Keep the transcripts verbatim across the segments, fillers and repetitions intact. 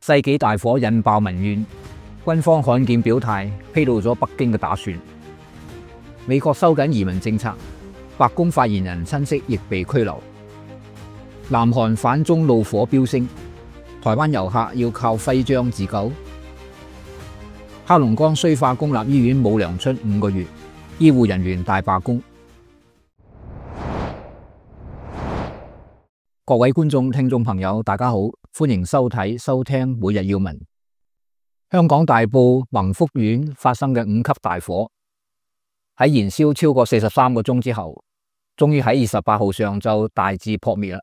世紀大火引爆民怨，軍方罕見表態披露咗北京嘅打算。美國收緊移民政策，白宮發言人親戚亦被拘留。南韓反中怒火飆升，台灣遊客要靠徽章自救。黑龍江綏化公立醫院冇糧出五個月，醫護人員大罷工。各位觀眾、聽眾朋友，大家好，歡迎收睇、收聽每日要聞。香港大埔宏福苑發生嘅五級大火，喺燃燒超過四十三個鐘之後，終於喺二十八號上晝大致撲滅啦。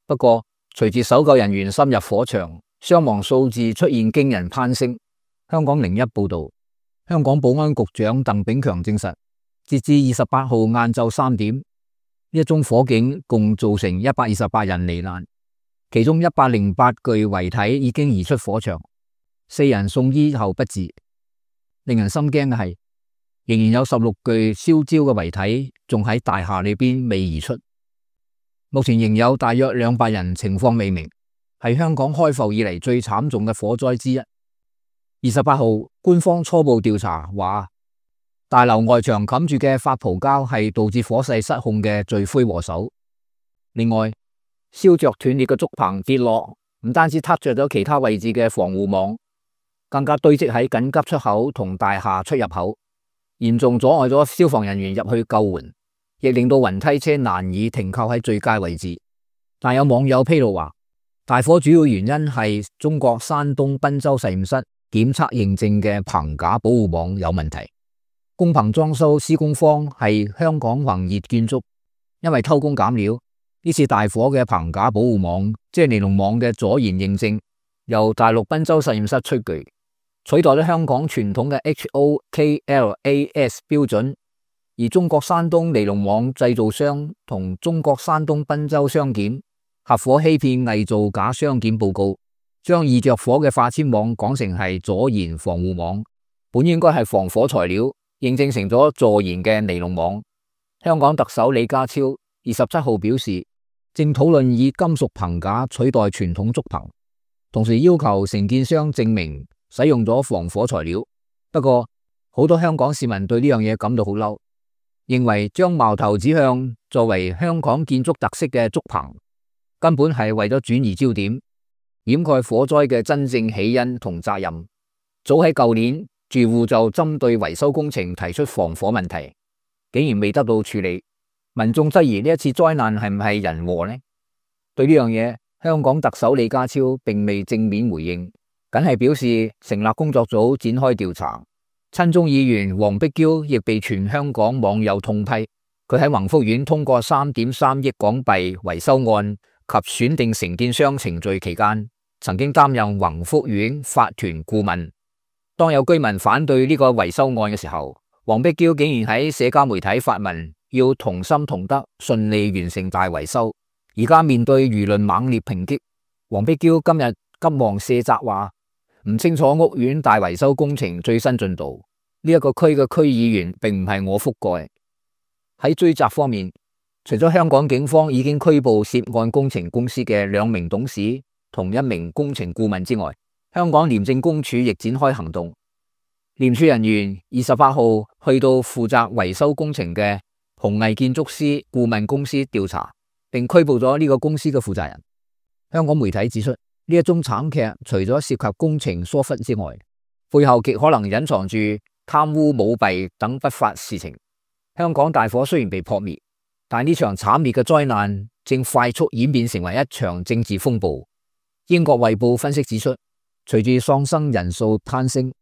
不過，隨住搜救人員深入火場，傷亡數字出現驚人攀升。香港零一報道，香港保安局長鄧炳強證實，截至二十八號晏晝三點。呢一宗火警共造成一百二十八人罹難，其中一百零八具遺體已經移出火場，四人送醫後不治。令人心驚嘅係，仍然有十六具燒焦嘅遺體仲喺大廈裏邊未移出。目前仍有大約兩百人情況未明，係香港開埠以嚟最慘重嘅火災之一。二十八號，官方初步調查話，大樓外牆冚住嘅發泡膠係導致火勢失控嘅罪魁禍首。另外，燒着斷裂嘅竹棚跌落，唔單止撻着咗其他位置嘅防護網，更加堆積喺緊急出口同大廈出入口，嚴重阻礙咗消防人員入去救援，亦令到雲梯車難以停靠喺最佳位置。但有網友披露話，大火主要原因係中國山東濱州實驗室檢測認證嘅棚架保護網有問題。工棚裝修施工方係香港宏業建築，因為偷工減料，呢次大火嘅棚架保護網，即係尼龍網嘅阻燃認證，由大陸濱州實驗室出具，取代咗香港傳統嘅 H O K L A S 標準。而中國山東尼龍網製造商同中國山東濱州商檢合夥欺騙偽造假商檢報告，將易着火嘅化纖網講成係阻燃防護網，本應該係防火材料，認證成咗助燃嘅尼龍網。香港特首李家超二十七號表示，正討論以金屬棚架取代傳統竹棚，同時要求承建商證明使用咗防火材料。不過，好多香港市民對呢樣嘢感到好嬲，認為將矛頭指向作為香港建築特色嘅竹棚，根本係為咗轉移焦點，掩蓋火災嘅真正起因同責任。早喺舊年，住戶就針對維修工程提出防火問題，竟然未得到處理。民眾質疑呢一次災難係唔係人禍呢？對呢樣嘢，香港特首李家超並未正面回應，僅係表示成立工作組展開調查。親中議員黃碧嬌亦被全香港網友痛批，佢喺宏福苑通過三點三億港幣維修案及選定承建商程序期間，曾經擔任宏福苑法團顧問。當有居民反對呢個維修案嘅時候，黃碧嬌竟然喺社交媒體發文，要同心同德，順利完成大維修。而家面對輿論猛烈抨擊，黃碧嬌今日急忙卸責話唔清楚屋苑大維修工程最新進度。呢、這、一個區嘅區議員並唔係我覆蓋。喺追責方面，除咗香港警方已經拘捕涉案工程公司嘅兩名董事同一名工程顧問之外，香港廉政公署亦展開行動，廉署人員二十八號去到負責維修工程嘅弘毅建築師顧問公司調查，並拘捕咗呢個公司嘅負責人。香港媒體指出，呢一宗慘劇除咗涉及工程疏忽之外，背後極可能隱藏住貪污舞弊等不法事情。香港大火雖然被撲滅，但呢場慘烈嘅災難正快速演變成為一場政治風暴。英國衛報分析指出，隨住喪生人數攀升，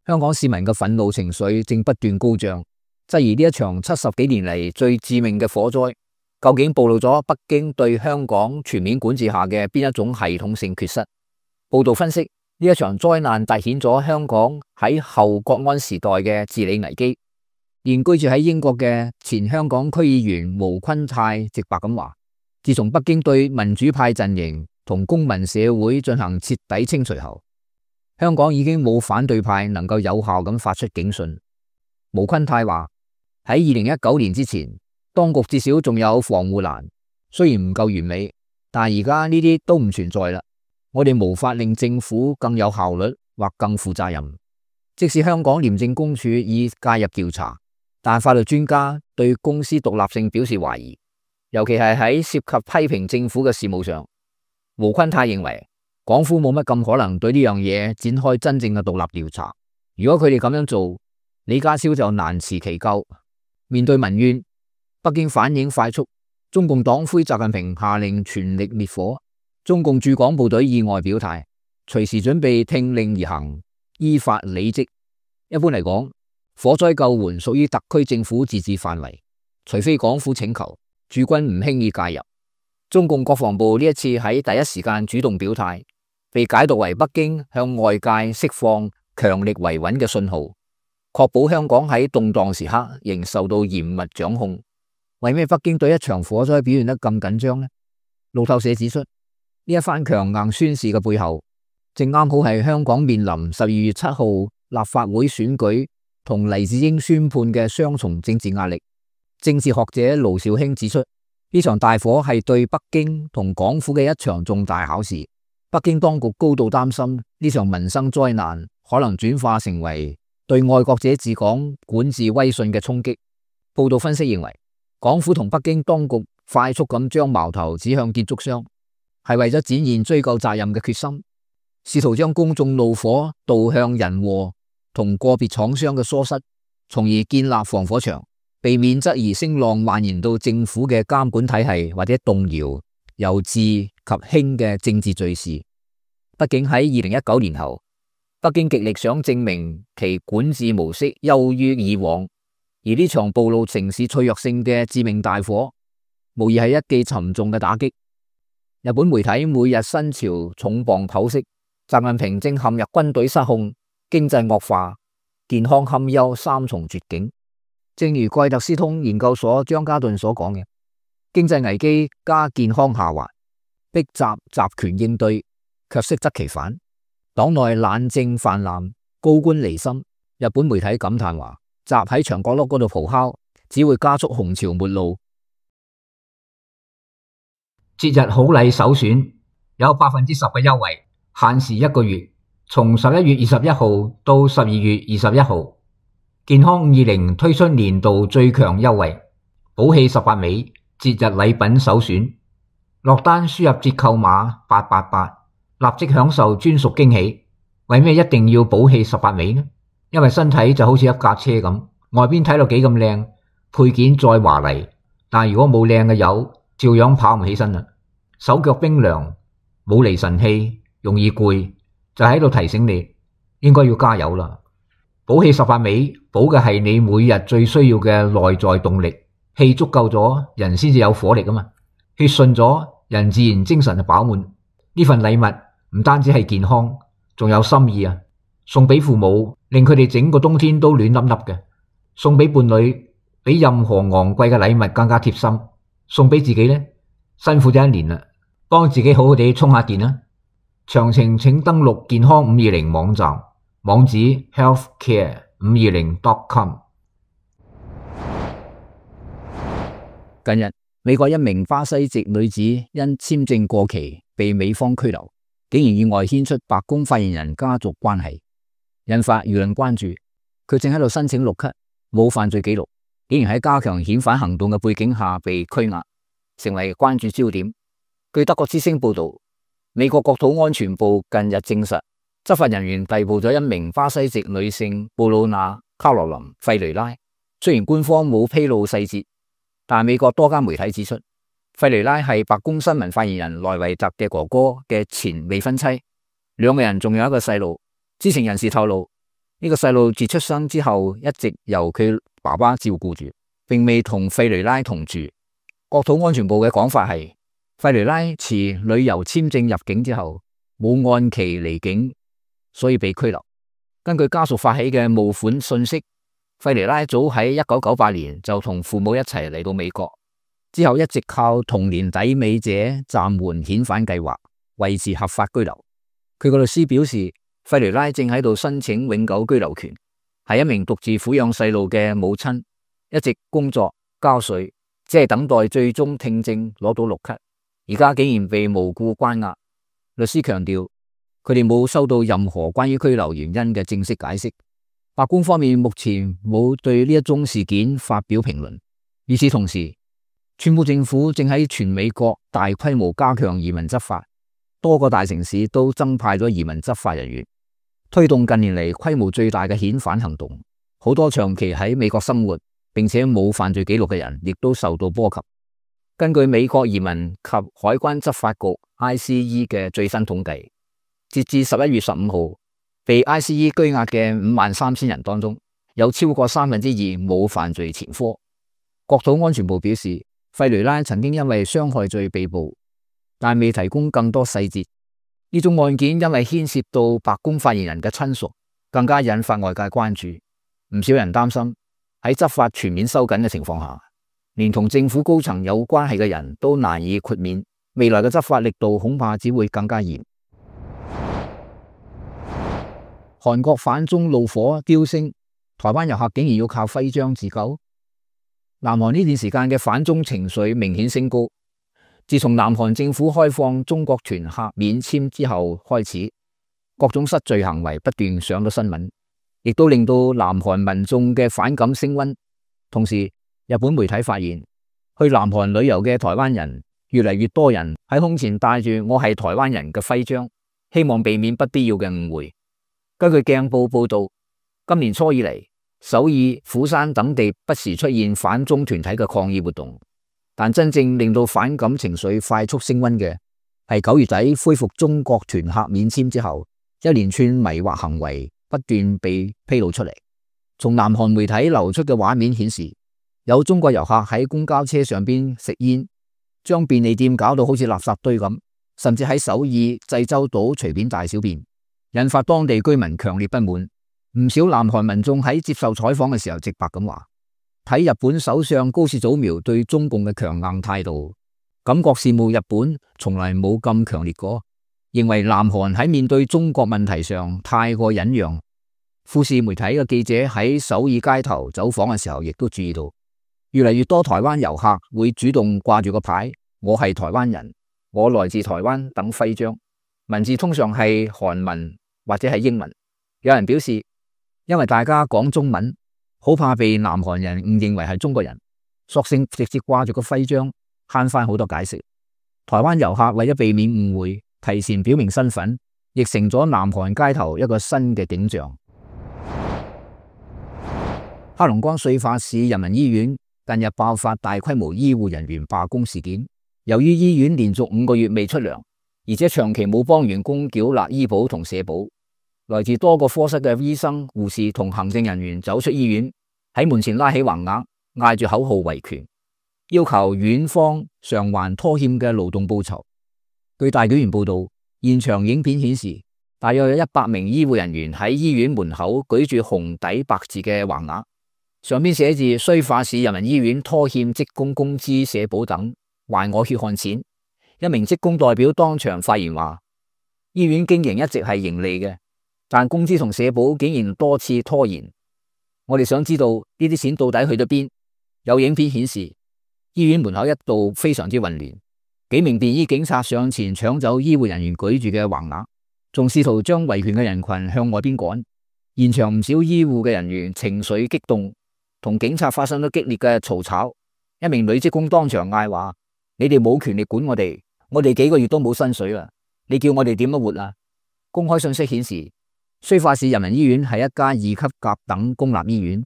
香港市民嘅憤怒情緒正不斷高漲，質疑呢一場七十幾年嚟最致命嘅火災，究竟暴露咗北京對香港全面管治下嘅邊一種系統性缺失。報道分析，呢一場災難凸顯咗香港喺後國安時代嘅治理危機。現居住喺英國嘅前香港區議員毛坤泰直白咁話，自從北京對民主派陣營同公民社會進行徹底清除後，香港已經冇反對派能夠有效咁發出警訊。毛坤泰話，喺二零一九年之前，當局至少仲有防護欄，雖然唔夠完美，但而家呢啲都唔存在啦。我哋無法令政府更有效率或更負責任。即使香港廉政公署已介入調查，但法律專家對公司獨立性表示懷疑，尤其係喺涉及批評政府嘅事務上。胡坤泰認為，港府冇乜咁可能對呢樣嘢展開真正嘅獨立調查。如果佢哋咁樣做，李家超就難辭其咎。面對民怨，北京反應快速，中共黨魁習近平下令全力滅火。中共駐港部隊意外表態，隨時準備聽令而行，依法履職。一般嚟講，火災救援屬於特區政府自治範圍，除非港府請求，駐軍唔輕易介入。中共國防部呢一次喺第一時間主動表態，被解讀為北京向外界釋放強力維穩嘅信號，確保香港喺動盪時刻仍受到嚴密掌控。為咩北京對一場火災表現得咁緊張呢？路透社指出，呢一番強硬宣示嘅背後，正啱好係香港面臨十二月七號立法會選舉同黎智英宣判嘅雙重政治壓力。政治學者盧兆興指出，呢場大火係對北京同港府嘅一場重大考試。北京當局高度擔心呢場民生災難可能轉化成為對愛國者治港管治威信嘅衝擊。報道分析認為，港府同北京當局快速咁將矛頭指向建築商，係為咗展現追究責任嘅決心，試圖將公眾怒火導向人禍同個別廠商嘅疏失，從而建立防火牆，避免質疑聲浪蔓延到政府嘅監管體系，或者動搖由治及興嘅政治敘事。畢竟喺二零一九年後，北京極力想證明其管治模式優於以往，而呢場暴露城市脆弱性嘅致命大火，無疑係一記沉重嘅打擊。日本媒體每日新潮重磅剖析，習近平正陷入軍隊失控、經濟惡化、健康堪憂三重絕境。正如蓋特斯通研究所張家頓所講嘅，經濟危機加健康下滑，逼習集權應對，卻適得其反。黨內懶政泛濫，高官離心。日本媒體感嘆話，習喺牆角落嗰度咆哮，只會加速紅潮末路。節日好禮首選有百分之十嘅優惠，限時一個月，從十一月二十一號到十二月二十一號。健康五二零推出年度最強優惠，寶氣十八味節日禮品首選，落單輸入折扣碼八八八，立即享受專屬驚喜。為咩一定要寶氣十八味呢？因為身體就好似一架車咁，外邊睇到幾咁靚，配件再華麗，但如果冇靚嘅油，照樣跑唔起身啦。手腳冰涼，冇厘神氣，容易攰，就喺度提醒你應該要加油啦。寶氣十八味補嘅係你每日最需要嘅內在動力，氣足夠咗，人先至有火力啊嘛。血順咗，人自然精神就飽滿。呢份禮物唔單止係健康，仲有心意啊！送俾父母，令佢哋整個冬天都暖粒粒嘅；送俾伴侶，比任何昂貴嘅禮物更加貼心；送俾自己呢，辛苦咗一年啦，幫自己好好地充下電啦。詳情請登錄健康五二零網站。網址 healthcare 五二零 dot com。 近日，美國一名巴西籍女子因簽證過期被美方拘留，竟然意外牽出白宮發言人家族關係，引發輿論關注。佢正喺度申請綠卡，冇犯罪記錄，竟然喺加強遣返行動嘅背景下被拘押，成為關注焦點。據德國之聲報道，美國國土安全部近日證實，執法人員逮捕咗一名巴西籍女性布魯娜·卡羅琳·費雷拉。雖然官方冇披露細節，但美國多家媒體指出，費雷拉係白宮新聞發言人萊維特嘅哥哥嘅前未婚妻，兩個人仲有一個細路。知情人士透露，呢、這個細路自出生之後一直由佢爸爸照顧住，並未同費雷拉同住。國土安全部嘅講法係，費雷拉持旅遊簽證入境之後冇按期離境，所以被拘留。根據家屬發起嘅募款信息，費雷拉早喺一九九八年就同父母一齊嚟到美國，之後一直靠同年抵美者暫緩遣返計劃維持合法居留。佢個律師表示，費雷拉正喺度申請永久居留權，係一名獨自撫養細路嘅母親，一直工作交稅，只係等待最終聽證攞到綠卡，而家竟然被無故關押。律師強調，佢哋冇收到任何關於拘留原因嘅正式解釋。白宮方面目前冇對呢一宗事件發表評論。與此同時，川普政府正喺全美國大規模加強移民執法，多個大城市都增派咗移民執法人員，推動近年嚟規模最大嘅遣返行動。好多長期喺美國生活並且冇犯罪記錄嘅人，亦都受到波及。根據美國移民及海關執法局 I C E 嘅最新統計，截至十一月十五號，被 I C E 拘押嘅五萬三千人當中，有超過三分之二冇犯罪前科。國土安全部表示，費雷拉曾經因為傷害罪被捕，但未提供更多細節。呢宗案件因為牽涉到白宮發言人嘅親屬，更加引發外界關注。唔少人擔心喺執法全面收緊嘅情況下，連同政府高層有關係嘅人都難以豁免，未來嘅執法力度恐怕只會更加嚴。韓國反中怒火飆升，台灣遊客竟然要靠徽章自救。南韓呢段時間嘅反中情緒明顯升高。自從南韓政府開放中國團客免簽之後開始，各種失序行為不斷上到新聞，亦都令到南韓民眾嘅反感升溫。同時，日本媒體發現，去南韓旅遊嘅台灣人越嚟越多人喺胸前帶住我係台灣人嘅徽章，希望避免不必要嘅誤會。根據鏡報報道，今年初以嚟，首爾、釜山等地不時出現反中團體嘅抗議活動，但真正令到反感情緒快速升溫嘅係九月底恢復中國團客免簽之後，一連串迷惑行為不斷被披露出嚟。從南韓媒體流出嘅畫面顯示，有中國遊客喺公交車上邊食煙，將便利店搞到好似垃圾堆咁，甚至喺首爾、濟州島隨便大小便，引發當地居民強烈不滿。唔少南韓民眾喺接受採訪嘅時候直白咁話，睇日本首相高市早苗對中共嘅強硬態度，感覺羨慕日本從來冇咁強烈過，認為南韓喺面對中國問題上太過忍讓。富士媒體嘅記者喺首爾街頭走訪嘅時候，亦都注意到，越嚟越多台灣遊客會主動掛住個牌，我係台灣人，我來自台灣等徽章，文字通常係韓文或者係英文。有人表示，因為大家講中文，好怕被南韓人誤認為係中國人，索性直接掛住個徽章，慳翻好多解釋。台灣遊客為咗避免誤會，提前表明身份，亦成咗南韓街頭一個新嘅景象。黑龍江綏化市人民醫院近日爆發大規模醫護人員罷工事件，由於醫院連續五個月未出糧，而且長期冇幫員工繳納醫保同社保。來自多個科室嘅醫生、護士同行政人員走出醫院，喺門前拉起橫額，嗌住口號維權，要求院方償還拖欠嘅勞動報酬。據大紀元報道，現場影片顯示，大約有一百名醫護人員喺醫院門口舉住紅底白字嘅橫額，上面寫住綏化市人民醫院拖欠職工工資、社保等，還我血汗錢。一名職工代表當場發言話，醫院經營一直係盈利嘅，但工資同社保竟然多次拖延，我哋想知道呢啲錢到底去咗邊？有影片顯示，醫院門口一度非常之混亂，幾名便衣警察上前搶走醫護人員舉住嘅橫額，仲試圖將維權嘅人群向外邊趕。現場唔少醫護嘅人員情緒激動，同警察發生咗激烈嘅嘈吵。一名女職工當場嗌話：你哋冇權力管我哋，我哋幾個月都冇薪水啦，你叫我哋點樣活啊？公開信息顯示，綏化市人民醫院係一家二級甲等公立醫院，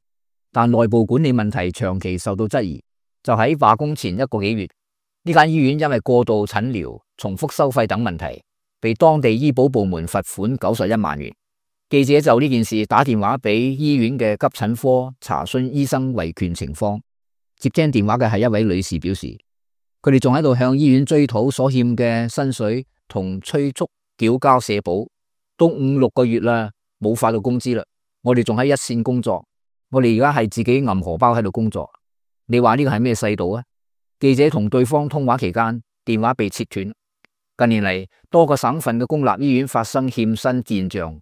但內部管理問題長期受到質疑。就喺罷工前一個幾月，呢間醫院因為過度診療、重複收費等問題，被當地醫保部門罰款九十一萬元。記者就呢件事打電話俾醫院嘅急診科查詢醫生維權情況。接聽電話嘅係一位女士，表示佢哋仲喺度向醫院追討所欠嘅薪水同催促繳交社保，都五六個月啦，冇發到工資啦。我哋仲喺一線工作，我哋而家係自己揞荷包喺度工作。你話呢個係咩世道啊？記者同對方通話期間，電話被切斷。近年嚟，多個省份嘅公立醫院發生欠薪現象。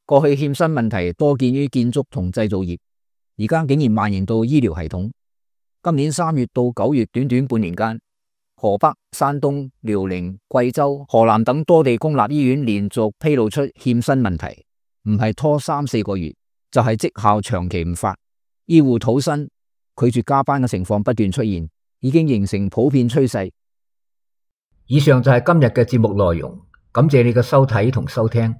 過去欠薪問題多見於建築同製造業，而家竟然蔓延到醫療系統。今年三月到九月短短半年間，河北、山東、遼寧、貴州、河南等多地公立醫院連續披露出欠薪問題，唔係拖三四個月，就係績效長期唔發，醫護討薪、拒絕加班嘅情況不斷出現，已經形成普遍趨勢。以上就係今日嘅節目內容，感謝你嘅收睇同收聽。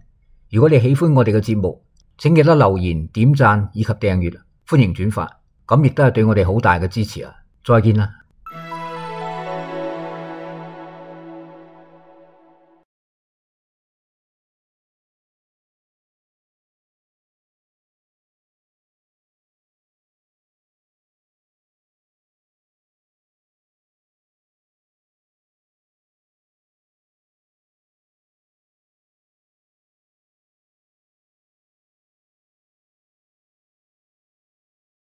如果你喜歡我哋嘅節目，請記得留言、點讚以及訂閱，歡迎轉發，咁亦都係對我哋好大嘅支持啊！再見啦。